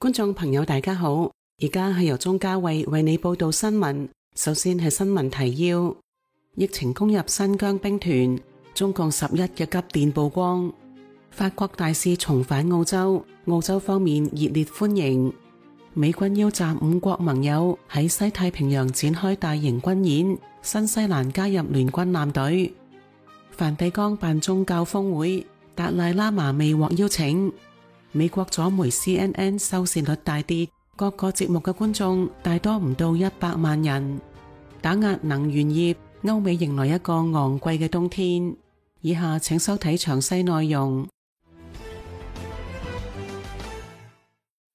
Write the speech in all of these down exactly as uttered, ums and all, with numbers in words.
觀眾朋友大家好，而家係由鍾嘉慧為你報道新聞。首先係新聞提要：疫情攻入新疆兵團，中共十一嘅急電曝光；法國大使重返澳洲，澳洲方面熱烈歡迎；美軍邀集五國盟友喺西太平洋展開大型軍演，新西蘭加入聯軍艦隊；梵蒂岡辦宗教峰會，達賴喇嘛未獲邀請；美國左媒 C N N 收視率大跌，各個節目嘅觀眾大多唔到一百萬人。打壓能源業，歐美迎來一個昂貴嘅冬天。以下請收睇詳細內容。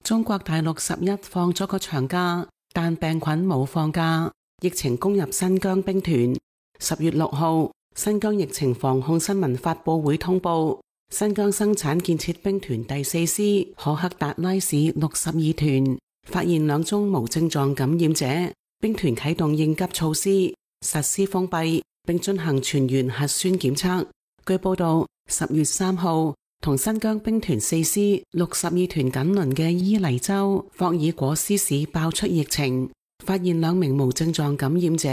中國大陸十一放咗個長假，但病菌冇放假，疫情攻入新疆兵團。十月六號，新疆疫情防控新聞發佈會通報，新疆生產建設兵團第四師可克達拉市六十二團發現兩宗無症狀感染者，兵團啟動應急措施，實施封閉，並進行全員核酸檢測。據報道，十月三號，同新疆兵團四師六十二團緊鄰嘅伊犁州霍爾果斯市爆出疫情，發現兩名無症狀感染者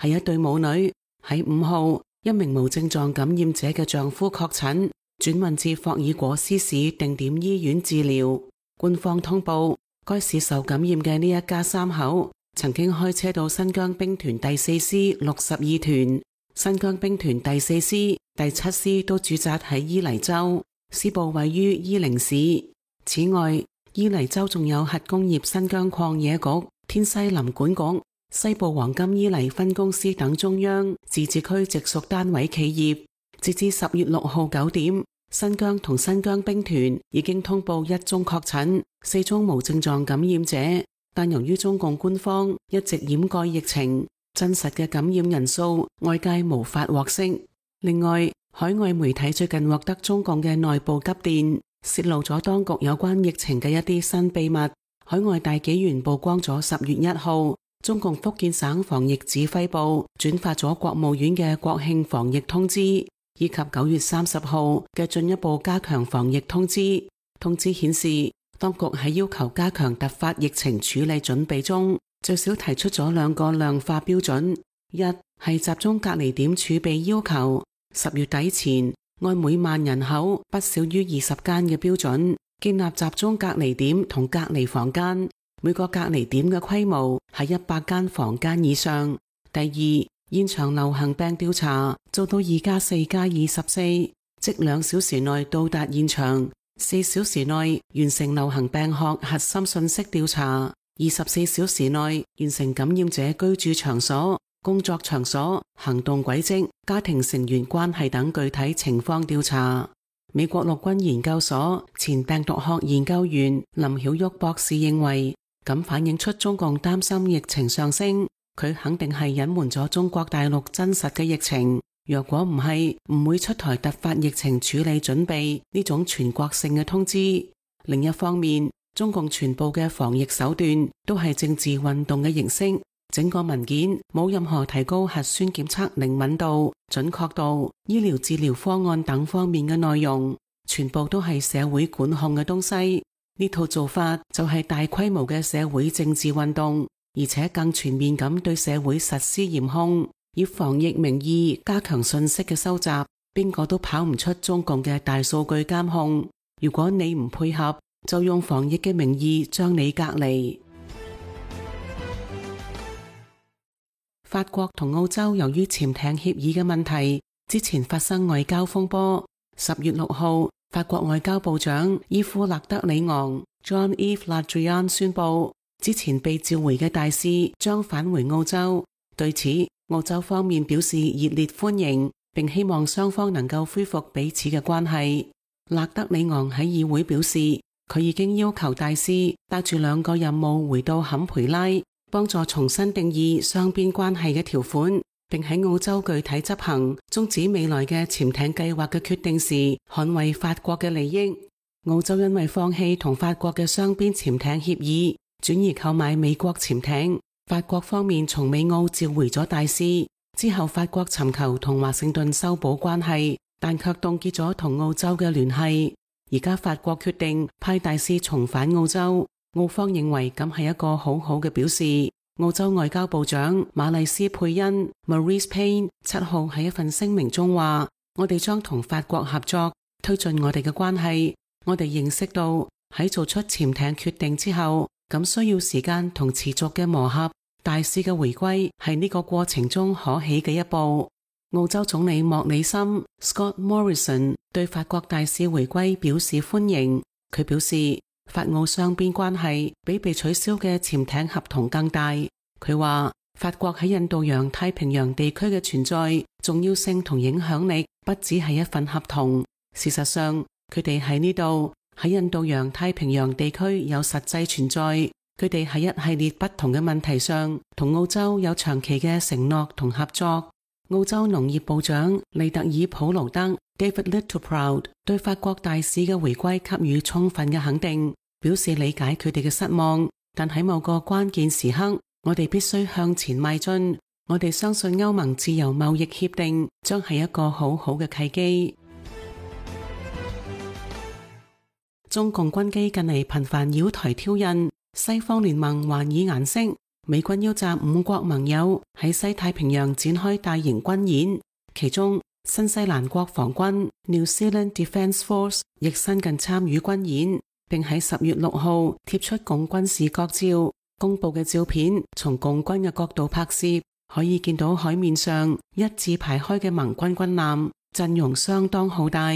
係一對母女。喺五號，一名無症狀感染者嘅丈夫確診，轉運至霍爾果斯市定點醫院治療。官方通報，該市受感染嘅呢一家三口曾經開車到新疆兵團第四師六十二團、新疆兵團第四師、第七師都駐紮喺伊犁州，師部位於伊寧市。此外，伊犁州仲有核工業新疆礦業局、天西林管局、西部黃金伊犁分公司等中央自治區直屬單位企業。截至十月六號九點，新疆同新疆兵團已經通報一宗確診，四宗無症狀感染者。但由於中共官方一直掩蓋疫情，真實嘅感染人數外界無法獲悉。另外，海外媒體最近獲得中共嘅內部急電，泄露咗當局有關疫情嘅一啲新秘密。海外大紀元曝光咗十月一號，中共福建省防疫指揮部轉發咗國務院嘅國慶防疫通知，以及九月三十號嘅進一步加強防疫通知。通知顯示，當局喺要求加強突發疫情處理準備中，最少提出咗兩個量化標準：一係集中隔離點儲備要求，十月底前按每萬人口不少於二十間嘅標準，建立集中隔離點同隔離房間，每個隔離點嘅規模係一百間房間以上。第二，現場流行病調查做到二加四加二十四，即兩小時內到達現場，四小時內完成流行病學核心信息調查，二十四小時內完成感染者居住場所、工作場所、行動軌跡、家庭成員關係等具體情況調查。美國陸軍研究所前病毒學研究員林曉旭博士認為，咁反映出中共擔心疫情上升，佢肯定係隱瞞咗中國大陸真實嘅疫情。若果唔係，唔會出台突發疫情處理準備呢種全國性嘅通知。另一方面，中共全部嘅防疫手段都係政治運動嘅形式，整個文件冇任何提高核酸檢測靈敏度、準確度、醫療治療方案等方面嘅內容，全部都係社會管控嘅東西。呢套做法就係大規模嘅社會政治運動，而且更全面咁對社會實施嚴控，以防疫名義加強信息嘅收集，邊個都跑唔出中共嘅大數據監控。如果你唔配合，就用防疫嘅名義將你隔離。法國同澳洲由於潛艇協議嘅問題，之前發生外交風波。十月六號，法國外交部長伊夫勒德里昂 Jean-Yves Le Drian 宣布，之前被召回嘅大使將返回澳洲。對此，澳洲方面表示熱烈歡迎，並希望雙方能夠恢復彼此嘅關係。勒德里昂喺議會表示，佢已經要求大使帶住兩個任務回到坎培拉，幫助重新定義雙邊關係嘅條款，並喺澳洲具體執行終止未來嘅潛艇計劃嘅決定時，捍衛法國嘅利益。澳洲因為放棄同法國嘅雙邊潛艇協議，轉而購買美國潛艇。法國方面從美澳召回咗大使之後，法國尋求同華盛頓修補關係，但卻凍結咗同澳洲嘅聯繫。而家法國決定派大使重返澳洲，澳方認為咁係一個好好嘅表示。澳洲外交部長馬麗斯佩恩 Marise Payne 七號喺一份聲明中話：我哋將同法國合作，推進我哋嘅關係。我哋認識到喺做出潛艇決定之後，咁需要時間同持續嘅磨合。大使嘅回歸係呢個過程中可喜嘅一步。澳洲總理莫里森 Scott Morrison 對法國大使回歸表示歡迎。佢表示，法澳雙邊關係比被取消嘅潛艇合同更大。佢話法國喺印度洋太平洋地區嘅存在重要性同影響力不只係一份合同。事實上，佢哋喺呢度喺印度洋太平洋地區有實際存在。佢哋喺一系列不同嘅問題上同澳洲有長期嘅承諾同合作。澳洲農業部長利特爾普勞德 David Littleproud 對法國大使嘅回歸給予充分嘅肯定，表示理解佢哋嘅失望，但喺某個關鍵時刻，我哋必須向前邁進。我哋相信歐盟自由貿易協定將係一個好好嘅契機。中共軍機近嚟頻繁擾台挑釁，西方聯盟還以顏色，美軍邀集五國盟友喺西太平洋展開大型軍演，其中新西蘭國防軍 New Zealand Defence Force 亦新近參與軍演，並喺十月六號貼出共軍視覺照。公布嘅照片從共軍嘅角度拍攝，可以見到海面上一字排開嘅盟軍軍艦，陣容相當浩大。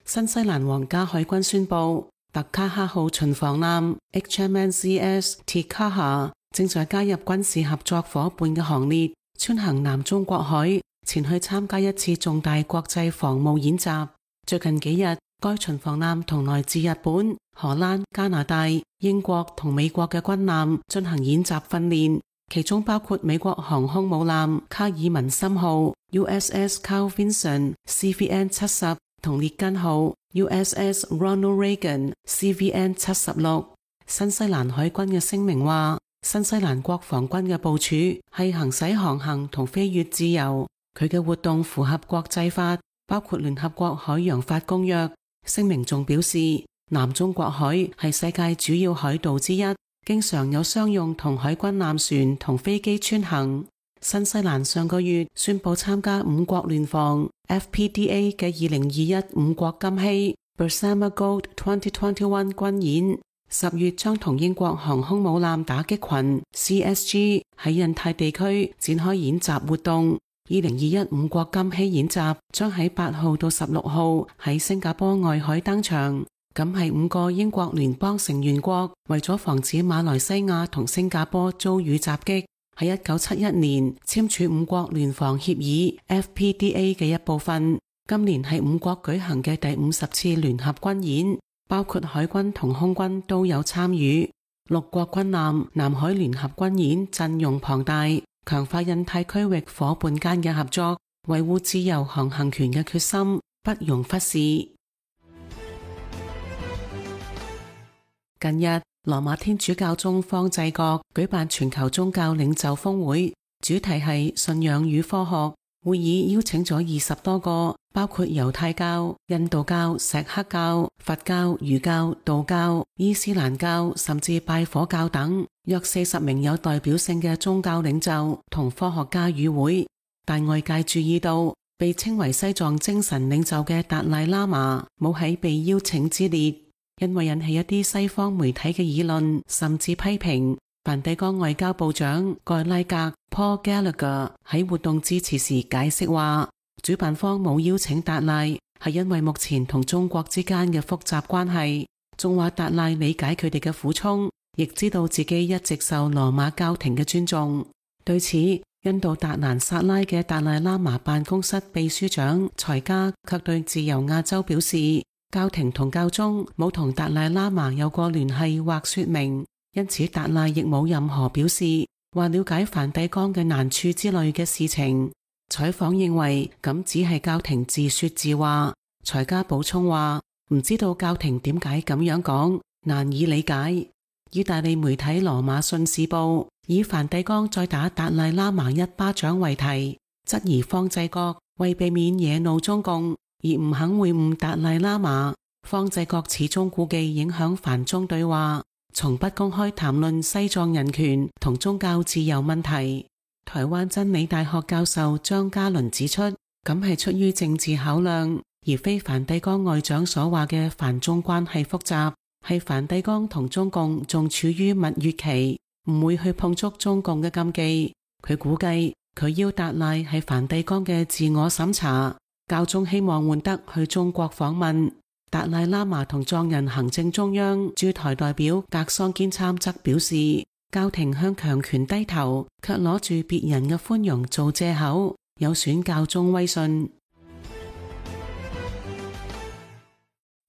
新西蘭皇家海軍宣布，特卡哈號巡防艦 H M S C S Te-Kaha 正在加入軍事合作夥伴嘅行列，穿行南中國海，前去參加一次重大國際防務演習。最近幾日，該巡防艦同來自日本、荷蘭、加拿大、英國同美國嘅軍艦進行演習訓練，其中包括美國航空母艦卡爾文森號 U S S Carl Vinson C V N 七十同列根號 U S S Ronald Reagan C V N 七十六。新西蘭海軍嘅聲明話，新西蘭國防軍嘅部署係行使航行同飛越自由，佢嘅活動符合國際法，包括聯合國海洋法公約。聲明仲表示，南中國海係世界主要海道之一，經常有商用同海軍艦船同飛機穿行。新西蘭上個月宣布參加五國聯防 F P D A 嘅二零二一五國金禧 Bersama Gold 二零二一軍演，十月將同英國航空母艦打擊群 C S G 喺印太地區展開演習活動。二零二一五國金禧演習將喺八號到十六號喺新加坡外海登場，咁係五個英國聯邦成員國為咗防止馬來西亞同新加坡遭遇襲擊，喺一九七一年簽署五國聯防協議 F P D A 嘅一部分。今年係五國舉行嘅第五十次聯合軍演，包括海軍同空軍都有參與。六國軍艦南海聯合軍演陣容龐大，強化印太區域夥伴間嘅合作，維護自由航行權嘅決心不容忽視。近日，羅馬天主教宗方濟各舉辦全球宗教領袖峰會，主題係信仰與科學。會議邀請咗二十多個，包括猶太教、印度教、錫克教、佛教、儒教、道教、伊斯蘭教，甚至拜火教等，約四十名有代表性嘅宗教領袖同科學家與會。但外界注意到，被稱為西藏精神領袖嘅達賴喇嘛冇喺被邀請之列，因為引起一啲西方媒體嘅議論，甚至批評。梵蒂岡外交部長蓋拉格 Paul Gallagher 喺活動致辭時解釋話，主辦方冇邀請達賴係因為目前同中國之間嘅複雜關係，仲話達賴理解佢哋嘅苦衷，亦知道自己一直受羅馬教廷嘅尊重。對此，印度達蘭薩拉嘅達賴喇嘛辦公室秘書長才加卻對自由亞洲表示，教廷同教宗冇同達賴喇嘛有過聯繫或說明。因此達賴亦冇任何表示話了解梵蒂岡嘅難處之類嘅事情。採訪認為咁只係教廷自說自話。才加補充話唔知道教廷點解咁樣講，難以理解。意大利媒體羅馬信使報以梵蒂岡再打達賴喇嘛一巴掌為題，質疑方濟各為避免惹怒中共而唔肯會晤達賴喇嘛。方濟各始終顧忌影響梵中對話，從不公開談論西藏人權同宗教自由問題。台灣真理大學教授張嘉倫指出，咁係出於政治考量，而非梵蒂岡外長所話嘅梵中關係複雜，係梵蒂岡同中共仲處於蜜月期，唔會去碰觸中共嘅禁忌。佢估計佢要達賴係梵蒂岡嘅自我審查，教宗希望換得去中國訪問。達賴喇嘛同藏人行政中央駐台代表格桑堅參則表示，教廷向強權低頭，卻攞住別人嘅寬容做借口，有損教宗威信。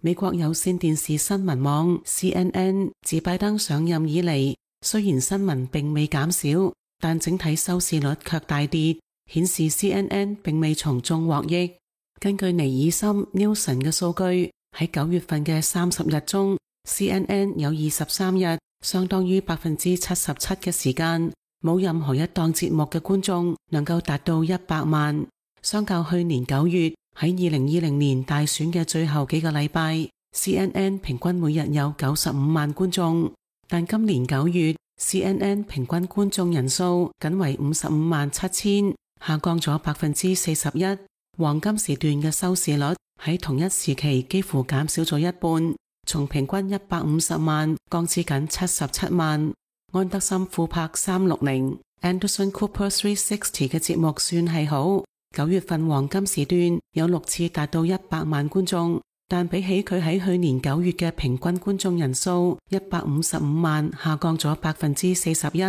美國有線電視新聞網 C N N 自拜登上任以嚟，雖然新聞並未減少，但整體收視率卻大跌，顯示 C N N 並未從中獲益。根據尼爾森 Nielsen 嘅數據，喺九月份嘅三十日中 ，C N N 有二十三日，相當於百分之七十七嘅時間，冇任何一檔節目嘅觀眾能夠達到一百萬。相較去年九月喺二零二零年大選嘅最後幾個禮拜 ，C N N 平均每日有九十五萬觀眾，但今年九月 C N N 平均觀眾人數僅為五十五萬七千，下降咗百分之四十一。黃金時段嘅收視率喺同一時期幾乎減少咗一半，從平均一百五十萬降至僅七十七萬。安德森庫柏三六零 Anderson Cooper三六零嘅節目算係好，九月份黃金時段有六次達到一百萬觀眾，但比起佢喺去年九月嘅平均觀眾人數一百五十五萬，下降咗百分之四十一。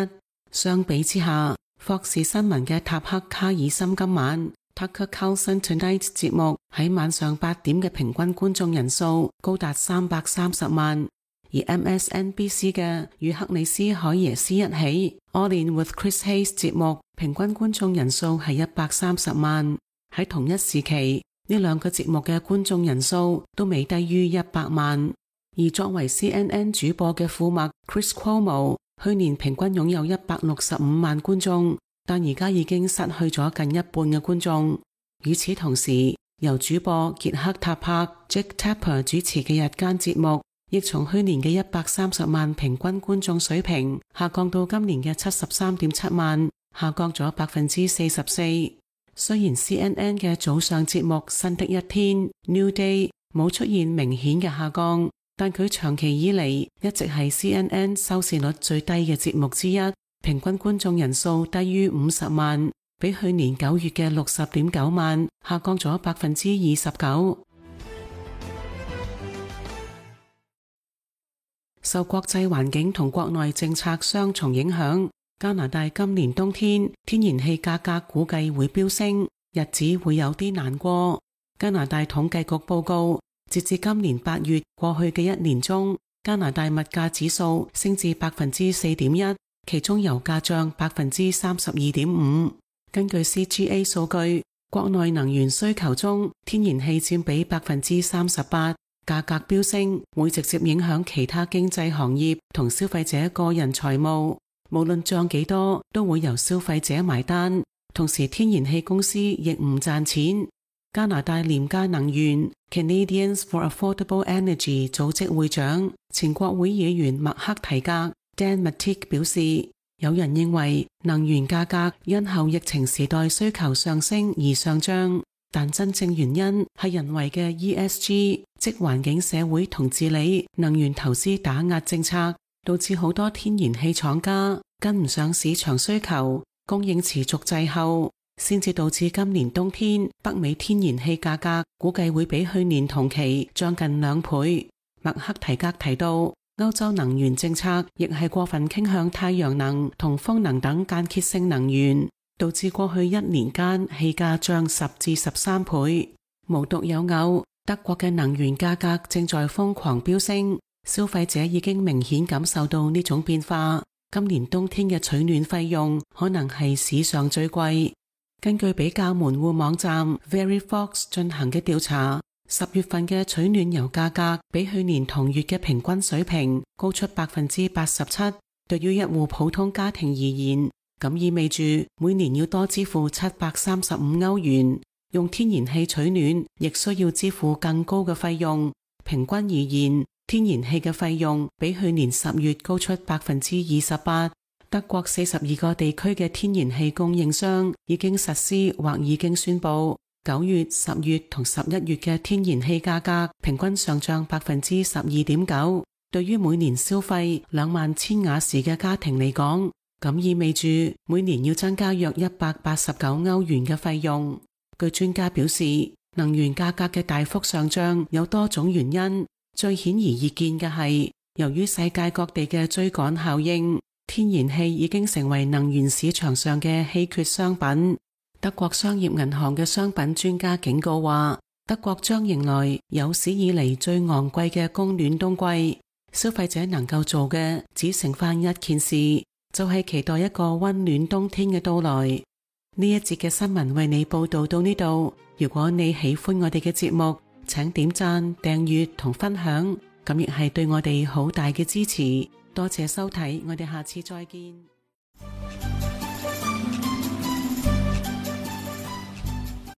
相比之下，霍士新聞嘅塔克卡爾森今晚 Tucker Carlson Tonight 節目喺晚上八點嘅平均觀眾人數高達三百三十萬，而 M S N B C 嘅與克里斯海耶斯一起 All In with Chris Hayes 節目平均觀眾人數係一百三十萬。喺同一時期，呢兩個節目嘅觀眾人數都未低於一百萬。而作為 C N N 主播嘅庫麥 Chris Cuomo 去年平均擁有一百六十五萬觀眾，但而家已經失去咗近一半嘅觀眾。與此同時，由主播傑克塔柏 Jake Tapper 主持嘅日間節目，亦從去年嘅一百三十萬平均觀眾水平下降到今年嘅七十三點七萬，下降咗百分之四十四。雖然 C N N 嘅早上節目新的一天 New Day 冇出現明顯嘅下降，但佢長期以嚟一直係 C N N 收視率最低嘅節目之一，平均觀眾人數低於五十萬，比去年九月嘅六十點九萬下降咗百分之二十九。受國際環境同國內政策雙重影響，加拿大今年冬天天然氣價格估計會飆升，日子會有啲難過。加拿大統計局報告，截至今年八月過去嘅一年中，加拿大物價指數升至百分之四點一，其中油價漲百分之三十二點五。根據 C G A 數據，國內能源需求中天然氣佔比百分之三十八。價格飆升會直接影響其他經濟行業同消費者個人財務，無論漲幾多都會由消費者埋單。同時天然氣公司亦唔賺錢。加拿大廉價能源 Canadians for Affordable Energy 組織會長、前國會議員麥克提格 Dan Mattick 表示，有人認為能源價格因後疫情時代需求上升而上漲，但真正原因係人為嘅 E S G 即環境、社會同治理能源投資打壓政策，導致好多天然氣廠家跟唔上市場需求，供應持續滯後，先至導致今年冬天北美天然氣價格估計會比去年同期漲近兩倍。麥克提格提到，歐洲能源政策亦係過分傾向太陽能同風能等間歇性能源，導致過去一年間氣價漲十至十三倍。無獨有偶，德國嘅能源價格正在瘋狂飆升，消費者已經明顯感受到呢種變化。今年冬天嘅取暖費用可能係史上最貴。根據比較門戶網站 VeryFox 進行嘅調查，十月份嘅取暖油價格比去年同月嘅平均水平高出百分之八十七。對於一戶普通家庭而言，咁意味住每年要多支付七百三十五歐元。用天然氣取暖亦需要支付更高嘅費用。平均而言，天然氣嘅費用比去年十月高出百分之二十八。德國四十二個地區嘅天然氣供應商已經實施或已經宣布，九月、十月同十一月嘅天然氣價格平均上漲百分之十二點九。對於每年消費兩萬千瓦時嘅家庭嚟講，咁意味住每年要增加約一百八十九歐元嘅費用。據專家表示，能源價格嘅大幅上漲有多種原因，最顯而易見嘅係由於世界各地嘅追趕效應，天然氣已經成為能源市場上嘅稀缺商品。德國商業銀行嘅商品專家警告話，德國將迎來有史以嚟最昂貴嘅供暖冬季。消費者能夠做嘅只剩返一件事，就係期待一個溫暖冬天嘅到來。呢一節嘅新聞為你報道到呢度。如果你喜歡我哋嘅節目，請點讚、訂閱同分享，咁亦係對我哋好大嘅支持。多謝收睇，我哋下次再見。